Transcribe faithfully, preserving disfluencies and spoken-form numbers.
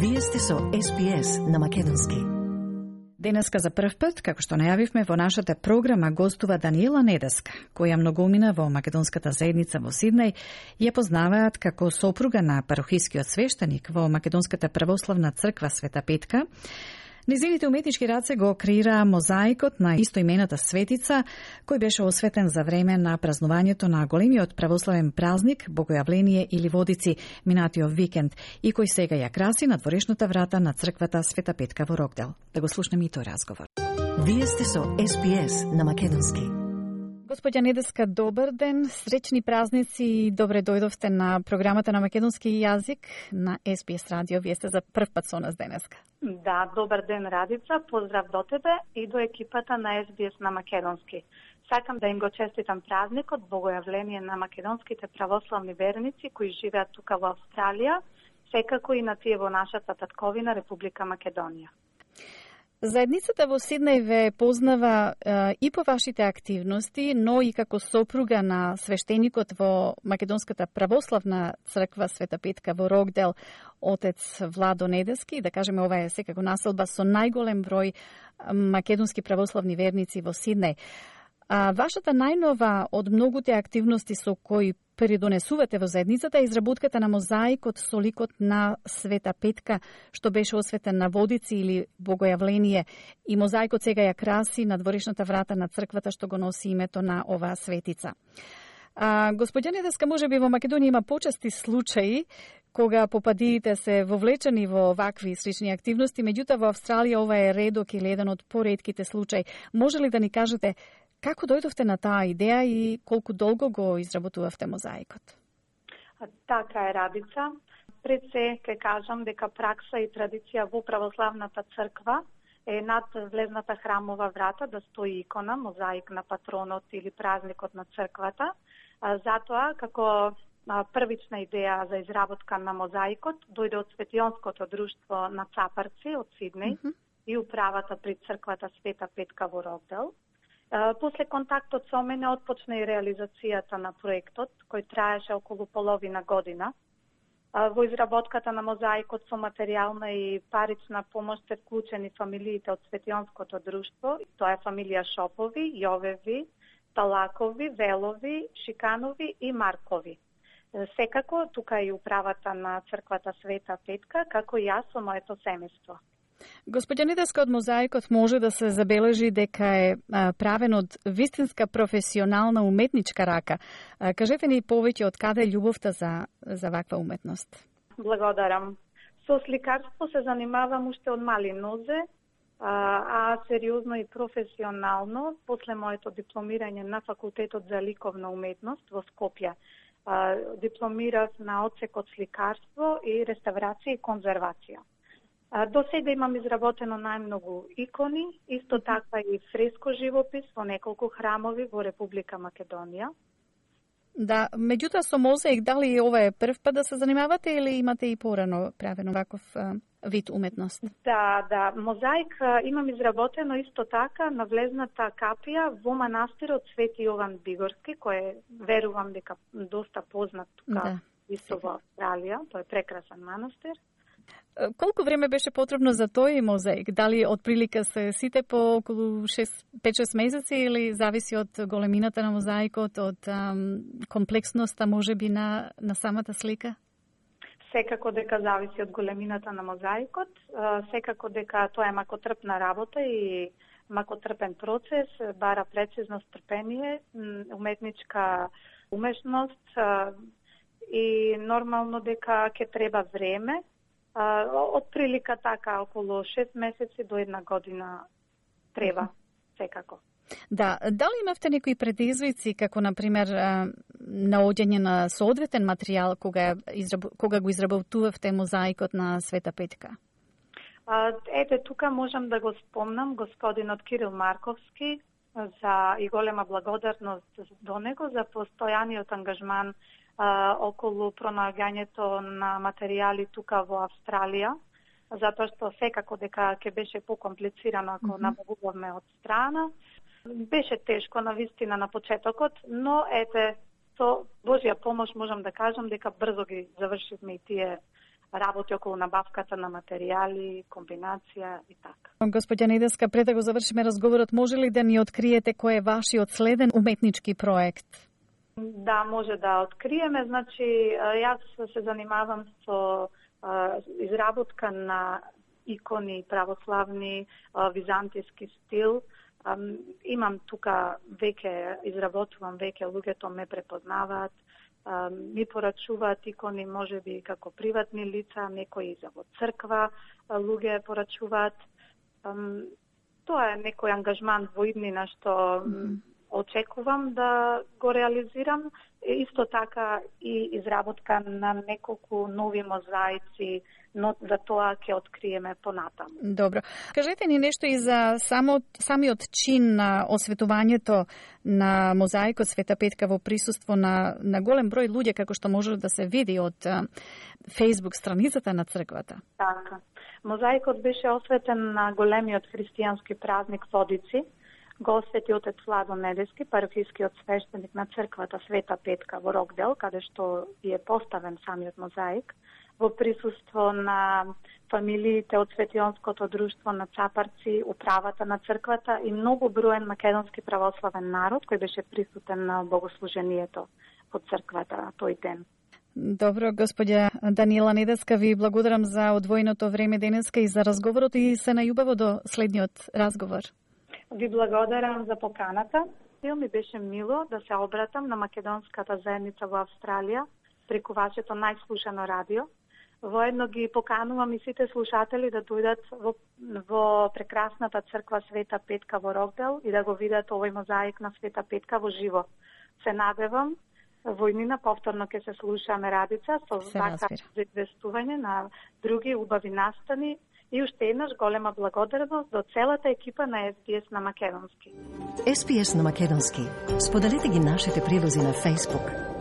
Вие сте со Ес Би Ес на македонски. Денеска за прв пат, како што најавивме во нашата програма, гостува Даниела Недеска, која многумина во македонската заедница во Сиднеј, ја познаваат како сопруга на парохискиот свештеник во Македонската православна црква Света Петка. Низините уметнички раце го креираа мозаикот на истоимената светица, кој беше осветен за време на празнувањето на големиот православен празник Богојавление или Водици минатиот викенд и кој сега ја краси на дворешната врата на црквата Света Петка во Рокдел. Да го слушнеме и тој разговор. Вие сте со Ес Би Ес на македонски. Господја Недеска, добар ден, среќни празници и добре дојдовте на програмата на македонски јазик на Ес Би Ес радио. Вие сте за прв пат со нас денеска. Да, добар ден, Радица, поздрав до тебе и до екипата на Ес Би Ес на македонски. Сакам да им го честитам празникот Богојавление на македонските православни верници кои живеат тука во Австралија, секако и на тие во нашата татковина Република Македонија. Заедницата во Сиднеј ве познава е, и по вашите активности, но и како сопруга на свештеникот во Македонската православна црква Света Петка во Рокдел, отец Владо Недески. Да кажеме, ова е секако населба со најголем број македонски православни верници во Сиднеј. А вашата најнова од многуте активности со кои придонесувате во заедницата е изработката на мозаикот со ликот на Света Петка, што беше осветен на Водици или Богојавление, и мозаикот сега ја краси на дворешната врата на црквата што го носи името на оваа светица. А, господја Недеска, може би во Македонија има почести случаи кога попадиите се вовлечени во вакви слични активности, меѓутоа во Австралија ова е редок или еден од поредките случаи. Може ли да ни кажете како дојдовте на таа идеја и колку долго го изработувавте мозаикот? Така е, Радица. Пред се ке кажам дека пракса и традиција во православната црква е над влезната храмова врата да стои икона, мозаик на патронот или празникот на црквата. Затоа, како првична идеја за изработка на мозаикот дојде од Светионското друштво на Цапарци од Сиднеј mm-hmm. и управата при црквата Света Петка во Рокдел. После контактот со мене отпочна и реализацијата на проектот, кој траеше околу половина година. Во изработката на мозаикот со материјална и парична помош се вклучени фамилиите од Светионското друштво, тоа е фамилија Шопови, Јовеви, Талакови, Велови, Шиканови и Маркови. Секако, тука е и управата на црквата Света Петка, како и јас со моето семејство. Господја Недеска, од мозаикот може да се забележи дека е правен од вистинска професионална уметничка рака. Кажете ни повеќе од каде е љубовта за, за ваква уметност? Благодарам. Со сликарство се занимавам уште од мали нозе, а сериозно и професионално после моето дипломирање на факултетот за ликовна уметност во Скопје. Дипломирав на одсекот сликарство и реставрација и конзервација. До сега имам изработено најмногу икони, исто така и фреско живопис во неколку храмови во Република Македонија. Да, меѓутоа со мозаик, дали ова е прв пат да се занимавате или имате и порано правено ваков а, вид уметност? Да, да, мозаик а, имам изработено исто така на влезната капија во манастирот Свети Јован Бигорски, кој е, верувам дека доста познат тука, да, исто во Австралија, тој е прекрасен манастир. Колку време беше потребно за тој мозаик? Дали од прилика се сите по околу пет-шест месеци или зависи од големината на мозаикот, од ам, комплексноста можеби на, на самата слика? Секако дека зависи од големината на мозаикот, секако дека тоа е макотрпна работа и макотрпен процес, бара прецизност, трпение, уметничка умешност и нормално дека ќе треба време. Од прилика така околу шест месеци до една година треба, секако. Да, дали имавте некои предизвици, како например наоѓање на соодветен материјал кога, израб... кога го изработувавте мозаикот на Света Петка? Ете, тука можам да го спомнам господинот Кирил Марковски за и голема благодарност до него за постојаниот ангажман а, околу пронаоѓањето на материјали тука во Австралија, затоа што секако дека ќе беше покомплицирано ако mm-hmm. набавуваме од страна. Беше тешко на вистина на почетокот, но ете, со Божја помош можам да кажам дека брзо ги завршивме и тие работи околу набавката на материјали, комбинација и така. Господја Недеска, пред да го завршиме разговорот, може ли да ни откриете кој е вашиот следен уметнички проект? Да, може да откриеме. Значи, јас се занимавам со изработка на икони православни, византијски стил. Имам тука веќе, изработувам веќе, луѓето ме препознаваат, ми порачуваат икони, можеби како приватни лица, некои за во црква, луѓе порачуваат. Тоа е некој ангажман во иднина што mm-hmm. очекувам да го реализирам. Исто така и изработка на неколку нови мозаици, но за тоа ќе откриеме понатаму. Добро. Кажете ни нешто и за само, самиот чин на осветувањето на мозаикот Света Петка во присуство на, на голем број луѓе, како што може да се види од Facebook страницата на црквата. Така. Мозаикот беше осветен на големиот христијански празник Водици. Го освети отец Владо Недески, парафискиот свештеник на црквата Света Петка во Рокдел, каде што е поставен самиот мозаик, во присуство на фамилиите од Светионското друштво на Цапарци, управата на црквата и многу броен македонски православен народ кој беше присутен на богослужението во црквата тој ден. Добро, господја Даниела Недеска, ви благодарам за одвоеното време денеска и за разговорот и се најубаво до следниот разговор. Ви благодарам за поканата. Ми беше мило да се обратам на македонската заедница во Австралија преку вашето најслушано радио. Воедно ги поканувам и сите слушатели да дојдат во, во прекрасната црква Света Петка во Рокдел и да го видат овој мозаик на Света Петка во живо. Се надевам во иднина повторно ќе се слушаме Радица со вака за известување на други убави настани. И уште еднаш голема благодарност до целата екипа на Ес Би Ес на македонски. Ес Би Ес на македонски. Споделете ги нашите прилози на Facebook.